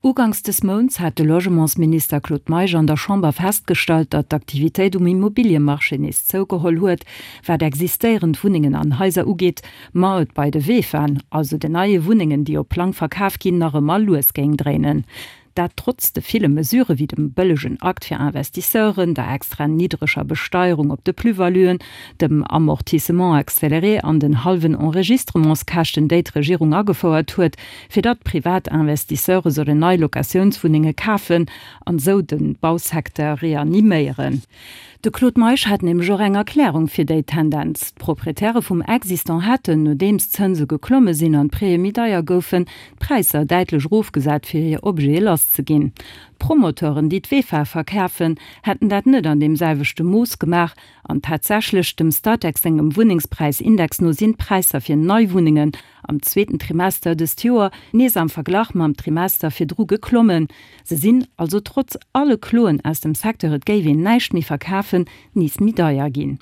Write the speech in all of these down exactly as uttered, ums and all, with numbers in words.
Uganks des Mounts hat de Logementsminister Claude Meisch an der Chamber festgestallt, datt d'Aktivitéit um Immobiliemarché nees zougeholl huet, wat existéierend Wunnengen an Haiser ugeet, ma et bei de VEFAen, also den neie Wunnengen, déi op Plang verkaf ginn, nach ëmmer lues géing dréinen. Dat trotz de ville Mesurë wéi dem bëllegen Akt fir Investisseuren, der extra niddreger Besteierung op de Plus-valuen, dem Amortissement accéléré an den hallwen Enregistrementskäschten, déi d'Regierung agefouert huet, fir datt privat Investisseure sollen nei Locatiounswunnenge kafen an esou de Bausecteur reaniméieren. De Claude Meisch hat nämlech och eng Erklärung fir déi Tendenz, D'Proprietäre vum Existant hätten, nodeems d'Zënse geklomme sinn an d'Prêtë méi deier goufen, d'Präisser däitlech erofgesat, fir hir Objete lasszeginn. D'Promoteuren, déi d'VEFA verkafen, hätten dat net an deem selwechte Mooss gemaach. An tatsächlech, dem Statec sengem Wunnengspräisindex no sinn d'Präisser fir nei Wunnengen am zweeten Trimester dëst Joer nees am Verglach mam Trimester virdru geklommen. Se sinn also trotz alle Kloen aus dem Secteur, et géif een näischt méi verkafen, nees méi deier ginn.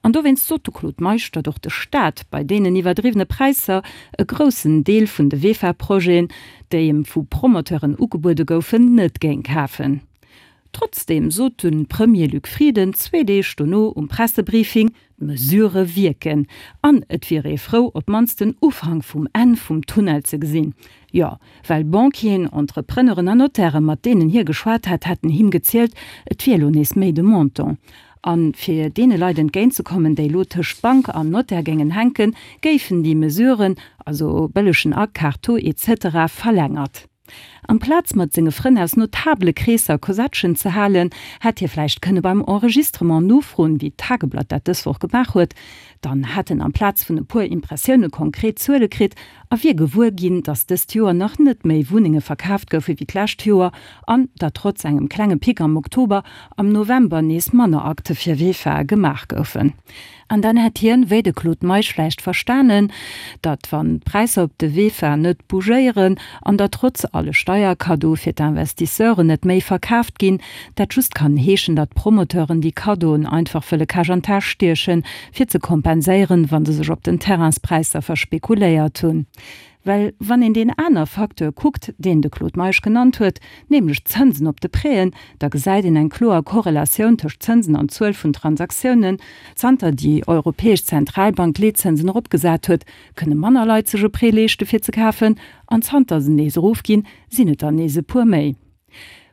An dowéinst sot de Claude Meisch, datt och de Staat bei deenen iwwerdriwwene Präisser e groussen Deel vun de VEFA-Projeten, déi em vu Promoteuren ugebuede goufen, net géing kafen. Trotzdeem sot de Premier Luc Frieden zwee Deeg dono um Pressebriefing, d'Mesurë wierken an et wier ee frou, op d'mannst den Ufank vum Enn vum Tunnel ze gesinn. Jo, well Banquieren, Entrepreneuren an Notaire, mat deenen hie geschwat hat, hätten him gezielt, et wier elo nees méi de Montant. A fir deene Leit entgéintzekommen, déi elo tëscht Bank an Notaire géingen hänken, géifen déi Mesuren, also bëllegen Akaf, Taux etc. Verlängert. Amplaz mat senge Frënn aus notabele Kreesser Kosettchen ze halen, hätt hie vläicht kënne beim Enregistrement nofroen, wéi d'Tageblatt dat dës Woch gemaach huet. Dann hätt en amplaz vun e puer Impressioune konkret Zuele kritt a wier gewuer ginn, datt dëst Joer nach net méi Wunnenge verkaaft goufe wéi d'lescht Joer an datt trotz engem klenge Pic am Oktober am November nees manner Akte fir VEFAe gemaach goufen. An dann hätt hien, wéi de Claude Meisch vläicht verstanen, datt wann d'Präisser op de VEFA net bougéieren an datt trotz alle Steierkaddoe fir d'Investisseuren net méi verkaaft ginn, dat just kann heeschen, datt d'Promoteuren déi Kaddoen einfach wëlle Cash an d'Täsch stiechen, fir ze kompenséieren, wa se sech op den Terrainspräisser verspekuléiert hunn. Well wann een deen aner Facteur kuckt, deen de Claude Meisch genannt huet, nämlech d'Zënsen op de Prêten, da gesäit een eng kloer Korrelatioun tëscht Zënsen an Zuel vun Transaktiounen. Zanter déi Europäesch Zentralbank d'Leetzënsen eropgesat huet, kënne manner Leit sech e Prêt leeschte fir ze kafen, an zanter se nees erofginn, sinn et der nees e puer méi.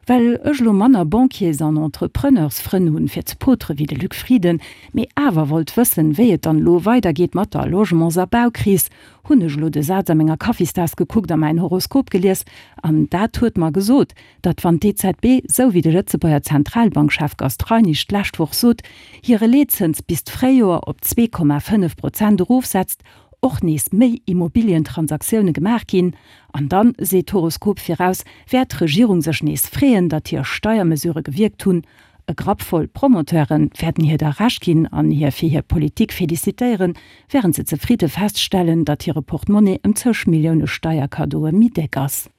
Well ech elo manner Banquiers an Entrepreneursfrënn hunn fir ze potere wéi de Luc Frieden, mee awer wollt wëssen, wéi et dann elo weidergeet mat der Logements a Baukris, hunn ech elo de Saz a menger Kaffistaass gekuckt a mäin Horoskop gelies an dat huet mer gesot, datt wann d'EZB, sou wéi de Lëtzebuerger Zentralbankchef Gast Reinig d'lescht Woch sot, hire Leetzëns bis d'Fréijoer op zwee Komma fënnef Prozent erofsetzt, och nees méi Immobilientransaktioune gemaach ginn. An dann, seet d'Horoskop viraus, wäert d'Regierung sech nees freeën, datt hir Steiermesurë gewierkt hunn. E Grapp voll Promoteure wäerten hir da Recht ginn an hir fir hir Politik felicitéieren, wärend se zefridde feststellen, datt hire Portemonnaie ëm zeg Millioune Steierkaddoe méi déck ass.